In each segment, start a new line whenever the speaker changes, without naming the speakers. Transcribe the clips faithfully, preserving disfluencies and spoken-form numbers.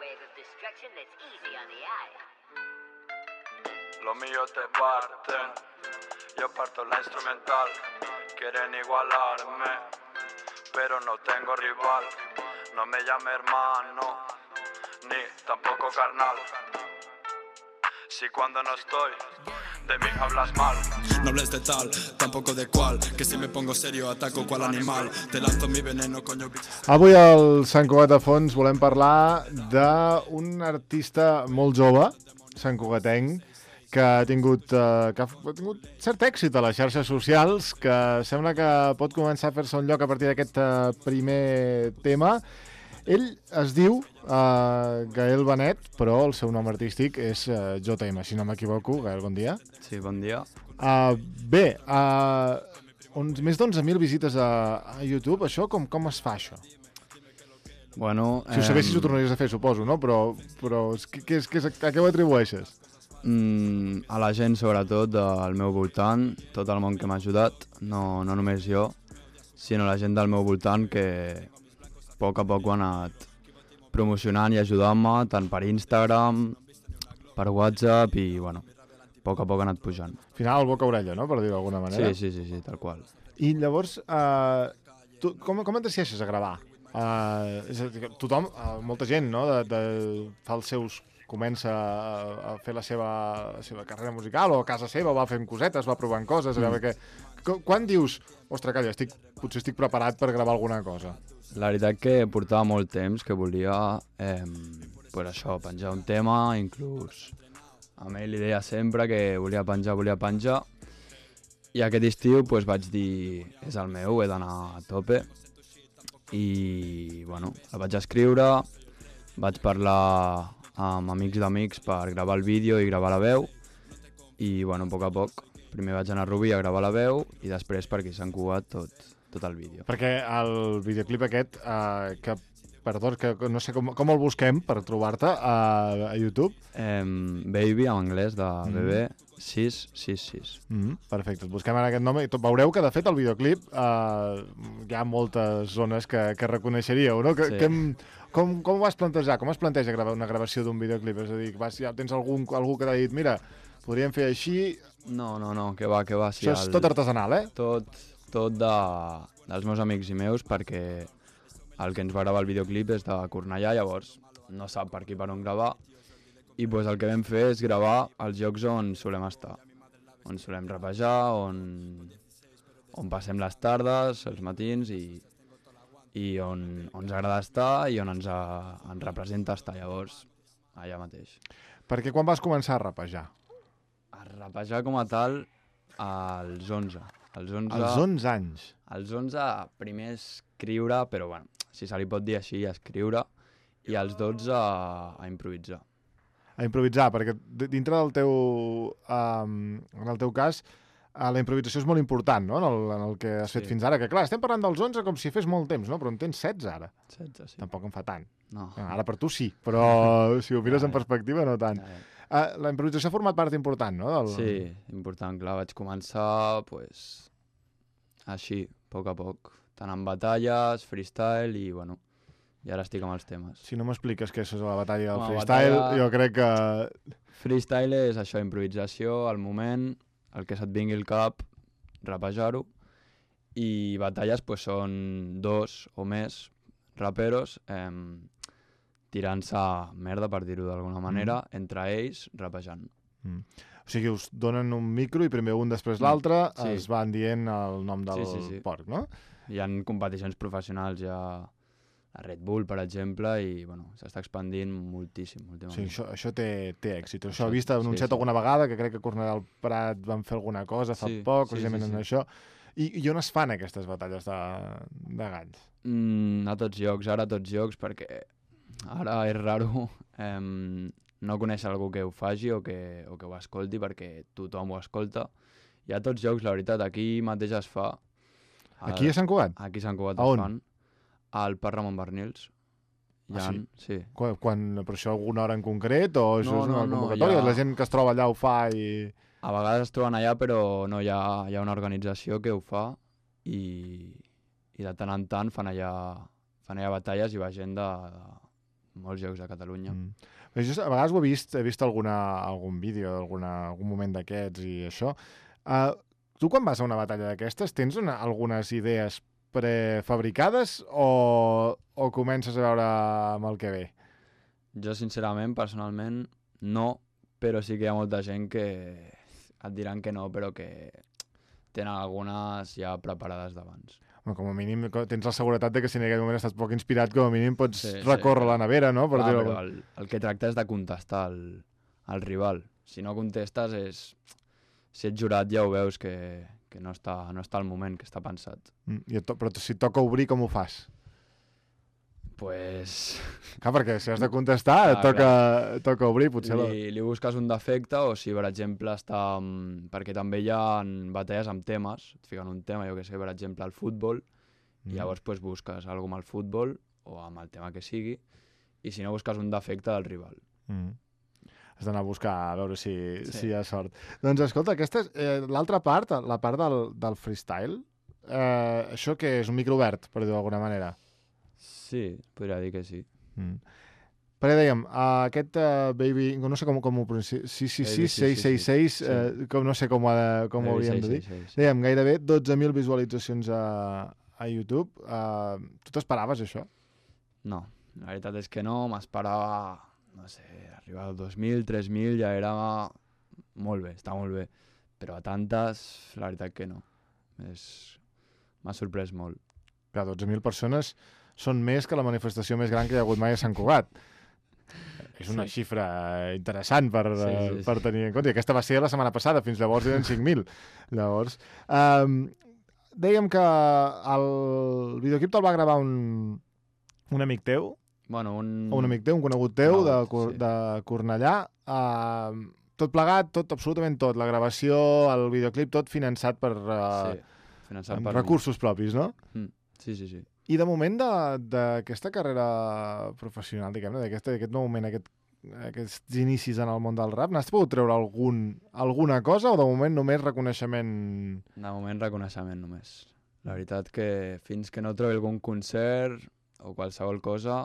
wave of destruction that's easy on the eye.
Los míos te parten, yo parto la instrumental. Quieren igualarme, pero no tengo rival. No me llame hermano, ni tampoco carnal. Si cuando no estoy, de mí hablas mal.
No hables de tal, tampoco de cual, que si me pongo serio ataco cual animal. Te lanzo mi veneno, coño.
Avui al Sant Cugat a Fons volem parlar d'un artista molt jove, santcugatenc, que ha tingut, uh, que ha tingut cert èxit a les xarxes socials, que sembla que pot començar a fer-se un lloc a partir d'aquest uh, primer tema. Ell es diu uh, Gael Benet, però el seu nom artístic és uh, J M, si no m'equivoco. Gael, bon dia.
Sí, bon dia.
Uh, bé, uh, uns, més d'onze mil visites a, a YouTube, això com, com es fa, això?
Bueno,
Si ho sabessis ho tornaries a fer, suposo, no? Però, però què, què, és- què, és- a què ho atribueixes?
Mm, a la gent, sobretot, del meu voltant, tot el món que m'ha ajudat, no, no només jo, sinó la gent del meu voltant que a poc a poc ho ha anat promocionant i ajudant-me, tant per Instagram, per WhatsApp i, bueno, a poc a poc ha anat pujant.
Al final, boca-orella, no?, per dir-ho d'alguna manera.
Sí, sí, sí, sí, tal qual.
I llavors, uh, tu, com, com et decideixes a gravar? Uh, és a dir, tothom, uh, molta gent, no?, de, de, fa els seus... comença a, a fer la seva, la seva carrera musical, o a casa seva va fent cosetes, va provant coses, a veure què... Qu- Quan dius, ostres, calla, estic, potser estic preparat per gravar alguna cosa?
La veritat que portava molt temps que volia, eh, pues això, penjar un tema, inclús a mi li deia sempre que volia penjar, volia penjar, i aquest estiu pues, vaig dir, és el meu, he d'anar a tope, i bueno, la vaig escriure, vaig parlar amb amics d'amics per gravar el vídeo i gravar la veu, i bueno, a poc a poc, primer vaig anar a Rubí a gravar la veu, i després per aquí s'han cugat tot, tot el vídeo.
Perquè el videoclip aquest, uh, que, perdó, que no sé com, com el busquem per trobar-te a, a YouTube.
Eh, Baby, en anglès, de
Mm.
bebè, sis sis sis.
Mm, perfecte, et busquem ara aquest nom i tot, veureu que de fet el videoclip uh, hi ha moltes zones que, que reconeixeríeu, no? Que,
Sí.
que, em- com, com ho vas plantejar? Com es planteja gravar una gravació d'un videoclip? És a dir, vas, ja tens algun, algú que t'ha dit, mira, podríem fer així...
No, no, no, que va, que va. Sí,
Això és tot artesanal, eh?
Tot, tot de, dels meus amics i meus, perquè el que ens va gravar el videoclip és de Cornellà, llavors no sap per aquí per on gravar, i pues, el que vam fer és gravar els llocs on solem estar, on solem rapejar, on, on passem les tardes, els matins, i, i on, on ens agrada estar i on ens, a, ens representa estar, llavors, allà mateix.
Perquè quan vas començar a rapejar?
A rapejar com a tal, als onze. Als onze,
Als onze anys.
als onze primer escriure, però bueno, si se li pot dir així, escriure, i als dotze a, a improvisar.
A improvisar, perquè d- dintre del teu... Um, en el teu cas, uh, la improvisació és molt important, no?, en el, en el que has fet
Sí.
fins ara. Que clar, estem parlant dels onze com si fes molt temps, no?, però en tens setze ara.
setze, sí.
Tampoc en fa tant.
No.
Ara per tu sí, però si ho mires
Ja,
en
ja.
perspectiva no tant.
Ja, ja.
Uh, la improvisació ha format part important, no? Del...
Sí, important, clar, vaig començar, pues, així, a poc a poc, tant en batalles, freestyle i, bueno, i ara estic amb els temes.
Si no m'expliques què és la batalla del
Home,
freestyle,
batalla-
jo crec que...
Freestyle és això, improvisació, al moment, el que se't vingui al cap, rapejar-ho, i batalles pues, són dos o més raperos eh, tirant-se merda, per dir-ho d'alguna manera, mm. entre ells, rapejant.
Mm. O sigui, us donen un micro i primer un, després l'altre,
Sí.
es van dient el nom del
Sí, sí, sí.
porc, no?
Hi ha competicions professionals ja a Red Bull, per exemple, i bueno, s'està expandint moltíssim.
O
últimament.
sigui, això, això té, té èxit. Això,
Això-
ho he vist anunciat
sí, sí.
alguna vegada, que crec que a Cornellà del Prat van fer alguna cosa fa
Sí,
poc,
sí,
precisament
sí,
en
sí.
això. I, I on es fan aquestes batalles de, de galls?
Mm, a tots llocs, ara a tots llocs, perquè ara és raro eh, no conèixer algú que ho faci o que, o que ho escolti, perquè tothom ho escolta. I a tots llocs, la veritat, aquí mateix es fa. Al-
Aquí a Sant Cugat?
Aquí a Sant Cugat
A
es
on?
fan. Al Parc Ramon Bernils. Hi
Ah,
ha,
sí?
sí.
Quan, quan, però això alguna hora en concret o això
No,
és una
no, no,
convocatòria?
ja-
La gent que es troba allà ho fa i...
A vegades es troben allà, però no hi ha, hi ha una organització que ho fa i, i de tant en tant fan allà, fan allà batalles i va gent de, molts llocs de Catalunya.
Mm. Just, a vegades ho he vist, he vist alguna, algun vídeo, alguna, algun moment d'aquests i això. Uh, tu quan vas a una batalla d'aquestes tens una, algunes idees prefabricades o, o comences a veure amb el que ve?
Jo, sincerament, personalment, no, però sí que hi ha molta gent que et diran que no, però que tenen algunes ja preparades d'abans.
Bueno, com a mínim tens la seguretat de que si en aquell moment estàs poc inspirat, com a mínim pots
Sí,
recórrer
sí.
a la nevera, no? Per
Clar,
dir-ho.
però el, el que tracta és de contestar al, al rival. Si no contestes és... Si ets jurat ja ho veus que, que no, està, no està al moment, que està pensat.
Mm, i et to però si et toca obrir, com ho fas?
Pues...
Clar, perquè si has de contestar,
Clar,
et toca, et toca obrir, potser... La...
Li, li busques un defecte o si, per exemple, està... amb- Perquè també hi ha batalles amb temes. Et fiquen un tema, jo que sé, per exemple, el futbol,
Mm.
i llavors pues, busques alguna amb el futbol o amb el tema que sigui, i si no busques un defecte del rival.
Mm. Has d'anar a buscar, a veure si,
Sí.
si hi ha sort. Doncs escolta, aquesta és eh, l'altra part, la part del, del freestyle. Eh, això que és un micro obert, per dir-ho d'alguna manera.
Sí, podria dir que sí.
Mm. Perquè dèiem, uh, aquest uh, Baby, no sé com, com ho pronuncio, sis sis sis seis seis seis, eh, com, no sé com, ho ha de, com ho hauríem de dir.
Sí, sí, sí.
Dèiem, gairebé dotze mil visualitzacions a, a YouTube. Uh, tu t'esperaves això?
No, la veritat és que no, m'esperava, no sé, arribar als dos mil, tres mil, ja era molt bé, està molt bé. Però a tantes, la veritat que no. És... M'ha sorprès molt.
Clar, dotze mil persones són més que la manifestació més gran que hi ha hagut mai a Sant Cugat. És una
Sí.
xifra interessant per,
Sí, sí,
eh,
sí.
per tenir en compte. I aquesta va ser la setmana passada, fins llavors eren cinc mil. Llavors, um, dèiem que el videoclip te'l va gravar un, un amic teu,
Bueno, un...
o un amic teu, un conegut teu, de,
Conegut,
Cor
sí.
de Cornellà. Uh, tot plegat, tot, absolutament tot. La gravació, el videoclip, tot finançat per uh,
Sí, finançat
amb
per mi.
recursos propis, no?
Mm. Sí, sí, sí.
I de moment de- d'aquesta carrera professional, diguem-ne, d'aquest d'aquest nou moment, aquest, aquests inicis en el món del rap, n'has pogut treure algun, alguna cosa o de moment només reconeixement?
De moment reconeixement només. La veritat que fins que no trobi algun concert o qualsevol cosa,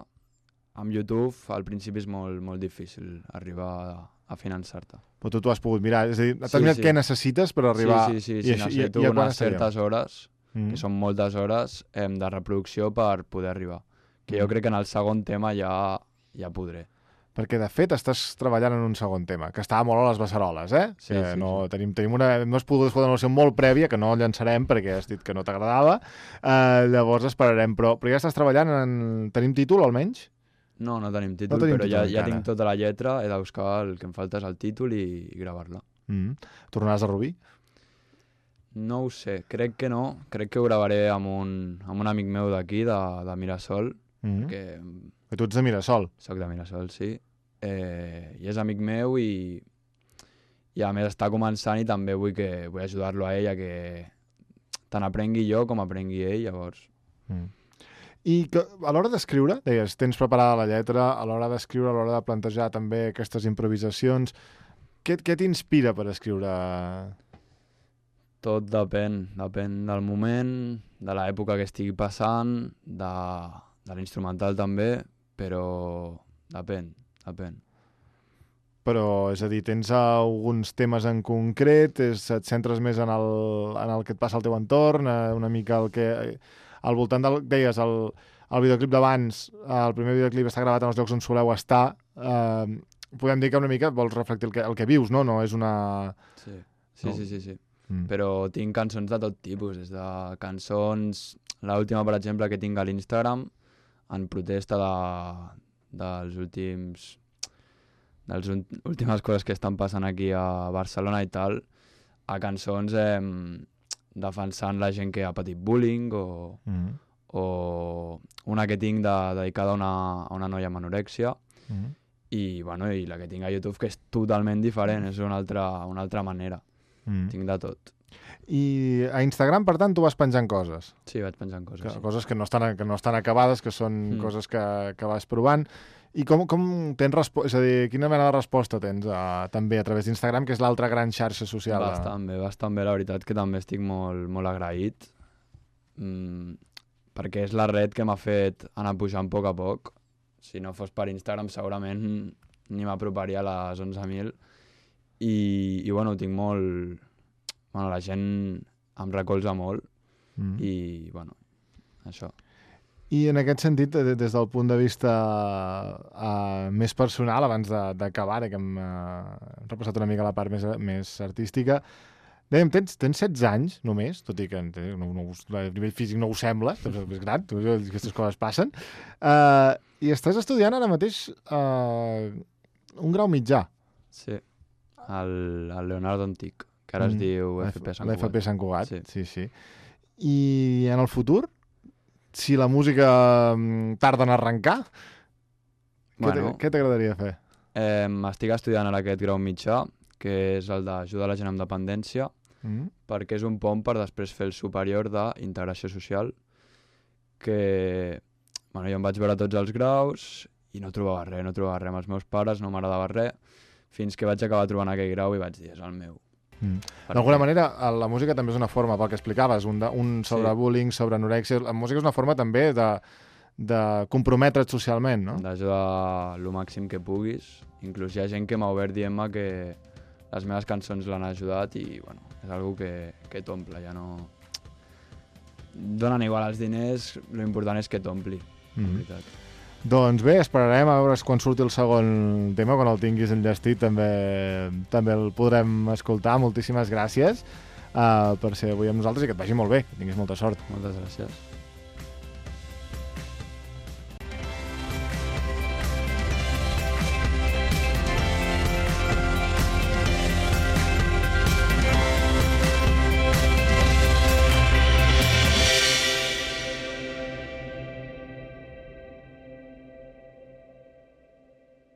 amb YouTube al principi és molt, molt difícil arribar a, a finançar-te.
Però tu t'ho has pogut mirar, és a dir, has
Sí,
mirat
sí.
què necessites per arribar...
Sí, sí, sí,
i
sí,
això- i-
necessito
i a quan
unes
estaríem?
certes hores,
Mm.
que són moltes hores, em, de reproducció per poder arribar. Que jo
Mm.
crec que en el segon tema ja, ja podré.
Perquè, de fet, estàs treballant en un segon tema, que estava molt a les beceroles, eh?
Sí,
que
sí,
no,
sí.
Tenim, tenim una... No has pogut fer una noció molt prèvia, que no llançarem perquè has dit que no t'agradava. Uh, llavors esperarem, però, però ja estàs treballant en... Tenim títol, almenys?
No, no tenim títol,
tenim
però
títol
ja, ja
encara.
tinc tota la lletra, he de buscar el que em falta és el títol i, i gravar-la.
Mm. Tornaràs a Rubí?
No ho sé, crec que no. Crec que ho gravaré amb un, amb un amic meu d'aquí, de, de Mirasol,
Mm.
que
Que tu ets de Mirasol.
soc de Mirasol, sí. Eh, I és amic meu i, i a més està començant i també vull, que, vull ajudar-lo a ell a que tant aprengui jo com aprengui ell, llavors.
Mm. I que, a l'hora d'escriure, deies, tens preparada la lletra, a l'hora d'escriure, a l'hora de plantejar també aquestes improvisacions, què, què t'inspira per escriure?
Tot depèn, depèn del moment, de l'època que estigui passant, de, de l'instrumental també, però depèn, depèn.
Però, és a dir, tens alguns temes en concret, és, et centres més en el, en el que et passa al teu entorn, eh, una mica el que... Al voltant del... Deies, el, el videoclip d'abans, el primer videoclip està gravat en els llocs on soleu estar, eh, podem dir que una mica vols reflectir el que, el que vius, no? No és una...
Sí, sí,
No.
sí, sí, sí.
Mm.
Però tinc cançons de tot tipus, des de cançons... L'última, per exemple, que tinc a l'Instagram, en protesta de, dels últims... de les últimes coses que estan passant aquí a Barcelona i tal, a cançons eh, defensant la gent que ha patit bullying o,
Mm.
o una que tinc de, dedicada a una, a una noia amb anorèxia
Mm.
i, bueno, i la que tinc a YouTube que és totalment diferent, és una altra, una altra manera.
Mm.
Tinc de tot.
I a Instagram, per tant, tu vas penjant coses.
Sí, vaig penjant coses.
Que,
Sí.
coses que no estan, que no estan acabades, que són
Mm.
coses que, que vas provant. I com, com tens resposta? És a dir, quina mena de resposta tens a, també a través d'Instagram, que és l'altra gran xarxa social? de-
Bastant bé, bastant bé, la veritat que també estic molt, molt agraït, mm, perquè és la red que m'ha fet anar pujant a poc a poc. si no fos per Instagram segurament ni m'aproparia a les onze mil. I, i bueno, tinc molt... Bueno, la gent em recolza molt mm. i, bueno, això.
I en aquest sentit, des del punt de vista uh, més personal, abans d'acabar, que hem uh, repassat una mica la part més, més artística, dèiem, tens, tens setze anys només, tot i que no, no, a nivell físic no ho sembla, és més gran, aquestes coses passen, uh, i estàs estudiant ara mateix uh, un grau mitjà.
Sí, al, al Leonardo Antic, que ara mm. es diu F P Sant Cugat.
L'F P Sant Cugat,
sí.
sí, sí. I en el futur, si la música tarda en arrencar, bueno, què t'agradaria fer?
Eh, estic estudiant ara aquest grau mitjà, que és el d'ajudar la gent amb dependència, mm. perquè és un pont per després fer el superior d'integració social, que bueno, jo em vaig veure tots els graus i no trobava res, no trobava res amb els meus pares, no m'agradava res, fins que vaig acabar trobant aquell grau i vaig dir, és el meu.
Mm. D'alguna manera, la música també és una forma, pel que explicaves, un, de, un sobre sí. bullying, sobre anorèxia, la música és una forma també de, de comprometre't socialment, no?
D'ajudar el màxim que puguis. Inclús hi ha gent que m'ha obert dient-me que les meves cançons l'han ajudat i bueno, és algo que, que t'omple, ja no... Donen igual els diners, l'important és que t'ompli, mm. en veritat.
Doncs bé, esperarem a veure quan surti el segon tema, quan el tinguis enllestit també, també el podrem escoltar. Moltíssimes gràcies uh, per ser avui amb nosaltres i que et vagi molt bé, que tinguis molta sort.
Moltes gràcies.